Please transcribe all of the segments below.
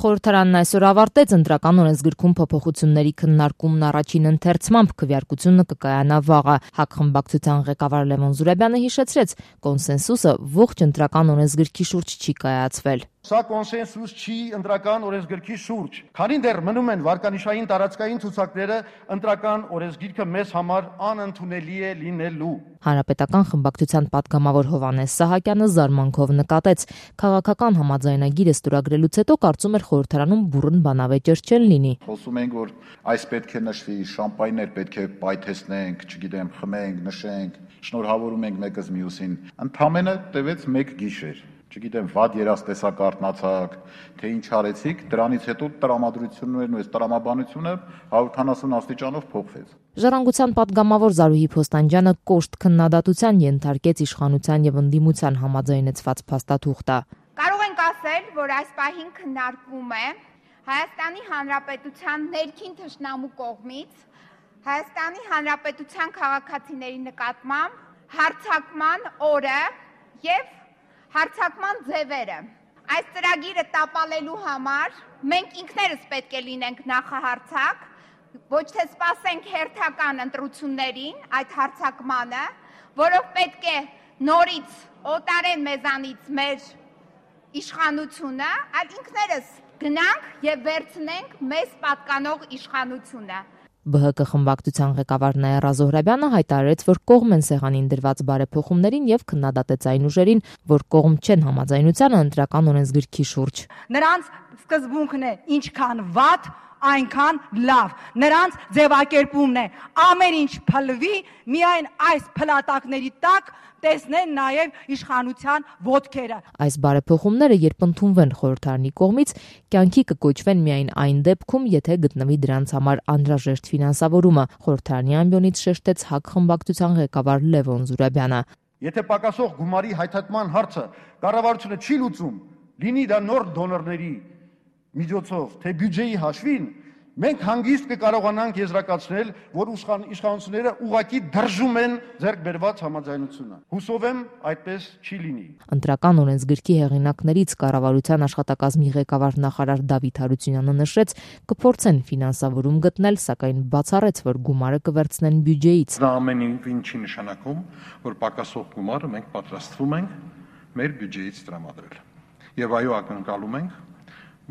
Խորհրդարանն այսօր ավարտեց ընտրական օրենսգրքում փոփոխությունների քննարկումն առաջին ընթերցմամբ, քվեարկությունը կկայանա վաղը։ ՀԱԿ խմբակցության ղեկավար Լևոն Զուրաբյանը հիշեցրեց, կոնսենսուսը ողջ ընտրական օրենսգրքի շուրջ չի կայացվել։ Սա կոնսենսուս չի ընտրական օրենսգրքի շուրջ, քանի դեռ մնում են վարկանիշային տարածքային ցուցակները, ընտրական օրենսգիրքը մեզ համար անընդունելի է լինելու։ Հանրապետական խմբակցության պատգամավոր Հովհաննես Սահակյանը զարմանքով նկատեց, քաղաքական համաձայնագիրը ստորագրելուց հետո կարծում էր խորհրդարանում բուռն բանավեճեր չեն լինի։ Խոսում ենք, որ այս պետք է նշվի, շամպայներ պետք է պայթեցնենք, չգիտեմ, խմենք, նշենք, շնորհավորում ենք մեկս մյուսին։ Ընդամենը տևեց մեկ գիշեր։ Չգիտեմ, վատ երաժշտեսակ արտնացակ, թե ինչ արեցիք, դրանից հետո տրամադրություններն ու այս տրամաբանությունը 140 աստիճանով փոխվեց։ Ժառանգության պատգամավոր Զարուհի Փոստանջյանը կոշտ քննադատության ենթարկեց իշխանության եւ ընդդիմության համաձայնեցված փաստաթուղթը։ Կարող ենք ասել, որ այս պահին քննարկվում է Հայաստանի Հանրապետության ներքին թշնամու կողմից Հայաստանի Հանրապետության քաղաքացիների նկատմամբ հարձակման օրը եւ հարձակման ձևերը։ Այս ծրագիրը տապալելու համար մենք ինքներս պետք է լինենք նախահարձակ, ոչ թե սպասենք հերթական ընտրություններին այդ հարձակմանը, որով պետք է նորից օտարեն մեզանից մեր իշխանությունը, այլ ինքներս գնանք եւ վերցնենք մեզ պատկանող իշխանությունը։ ԲՀԿ խմբակցության ղեկավար Նաիրա Զոհրաբյանը հայտարարեց, որ կողմ են սեղանին դրված բարեփոխումներին եւ քննադատեց այն ուժերին, որ կողմ չեն համաձայնությանը ընտրական օրենսգրքի շուրջ։ Նրանց սկզբունքն է ինչքան վատ, այնքան լավ։ Նրանց ձևակերպումն է ամեն ինչ փլվի, միայն այս փլատակների տակ տեսնեն նաև իշխանության ոտքերը։ Այս բարեփոխումները, երբ ընդունվեն խորհրդարանի կողմից, կյանքի կկոչվեն միայն այն դեպքում, եթե գտնվի դրանց համար անհրաժեշտ ֆինանսավորումը, խորհրդարանի ամբիոնից շեշտեց ՀԱԿ խմբակցության ղեկավար Լևոն Զուրաբյանը։ Եթե պակասող գումարի հայթայթման հարցը կառավարությունը չի լուծում, լինի դա նոր դոնորների միջոցով, թե բյուջեի հաշվին, մենք հանգիստ կկարողանանք եզրակացնել, որ իշխանությունները ուղղակի դրժում են ձեռք բերված համաձայնությունը։ Հուսով եմ, այդպես չի լինի։ Ընտրական օրենսգրքի հեղինակներից կառավարության աշխատակազմի ղեկավար նախարար Դավիթ Հարությունյանը նշեց, կփորձեն ֆինանսավորում գտնել, սակայն բացառեց, որ գումարը կվերցնեն բյուջեից։ Դա ամեն ինչ չի նշանակում, որ պակասող գումարը մենք պատրաստվում ենք մեր բյուջեից տրամադրել։ Եվ այո, ակնկալում ենք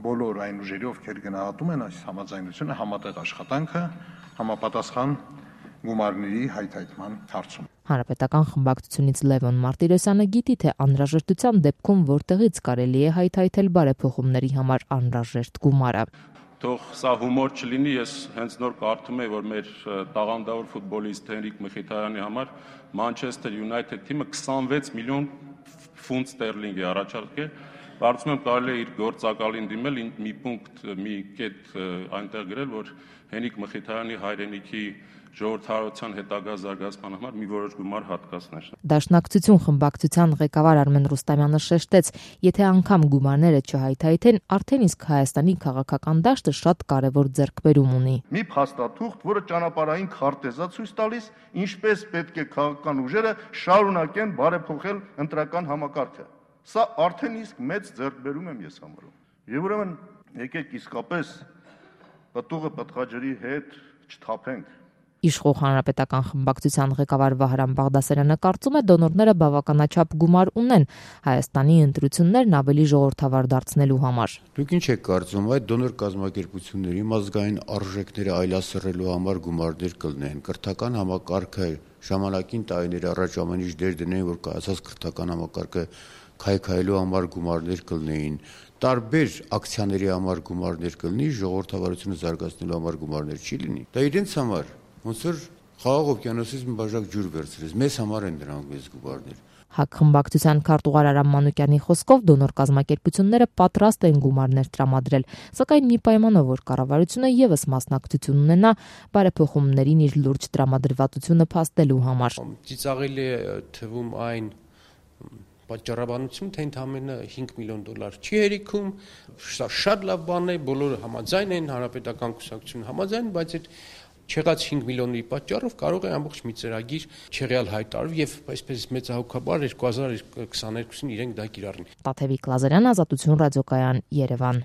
բոլոր այն ուժերի, ովքեր գնահատում են այս համաձայնությունը, համատեղ աշխատանքը համապատասխան գումարների հայթայթման հարցում։ Հանրապետական խմբակցությունից Լևոն Մարտիրոսյանը գիտի, թե անհրաժեշտության դեպքում որտեղից կարելի է հայթայթել բարեփոխումների համար անհրաժեշտ գումարը։ Թող սա հումոր չլինի, ես հենց նոր կարդում եմ, որ մեր տաղանդավոր ֆուտբոլիստ Հենրիկ Մխիթարյանի համար Manchester United թիմը 26 միլիոն ֆունտ ստերլինգ է առաջարկել։ Կարծում եմ կարելի է իր գործակալին դիմել, մի պունկտ, մի կետ այնտեղ գրել, որ Հենրիկ Մխիթարյանի հայրենիքի ժողովրդավարության հետագա զարգացման համար մի որոշ գումար հատկացներ։ Դաշնակցություն խմբակցության ղեկավար Արմեն Ռուստամյանը շեշտեց, եթե անգամ գումարները չհայթայթեն, արդեն իսկ Հայաստանի քաղաքական դաշտը շատ կարևոր ձեռքբերում ունի։ Մի փաստաթուղթ, որը ճանապարհային քարտեզա ցույց տալիս, ինչպես պետք է քաղաքական ուժերը շարունակեն բարեփոխել ընտրական համակարգը։ Սա արդեն իսկ մեծ ձեռքբերում եմ ես համարում։ Եվ ուրեմն եկեք իսկապես պտուղը պտղաջրի հետ չթափենք։ Իշխող հանրապետական խմբակցության ղեկավար Վահրամ Բաղդասարյանը կարծում է, դոնորները բավականաչափ գումար ունեն Հայաստանի ընտրություններն ավելի ժողովրդավար դարձնելու համար։ Դուք ինչ եք կարծում, այդ դոնոր կազմակերպությունների ազգային արժեքները այլասերելու համար գումարներ կլինեն։ Կրթական համակարգը ժամանակին տարիներ առաջ ամեն ինչ դեր դնեն, որ կայացած կրթական համակարգը քայքայելու համար գումարներ կլինեին, տարբեր ակցիաների համար գումարներ կլինի, ժողովրդավարությունը զարգացնելու համար գումարներ չի լինի։ Դա իրենց համար ոնց որ խաղաղ օվկիանոսից մի բաժակ ջուր վերցրես, մեզ համար են դրանք մեծ գումարներ։ ՀԱԿ խմբակցության քարտուղար Արամ Մանուկյանի խոսքով դոնոր կազմակերպությունները պատրաստ են գումարներ տրամադրել, սակայն մի պայմանով, որ կառավարությունը եւս մասնակցություն ունենա բարեփոխումներին իր լուրջ տրամադրվածությունը փաստելու համար։ Ծիծաղելի է թվում այն պատճառաբանություն, թե ընդամենը $5 միլիոն չի հերիքում, սա շատ լավ բան է, բոլորը համաձայն են, հանրապետական կուսակցությունը համաձայն, բայց այդ չեղած 5 միլիոնի պատճառով կարող է ամբողջ մի ծրագիր չեղյալ հայտարարվել եւ այսպես մեծահոգաբար 2022-ին իրենք դա կիրառեն։ Տաթևիկ Լազարյան, Ազատություն ռադիոկայան, Երևան։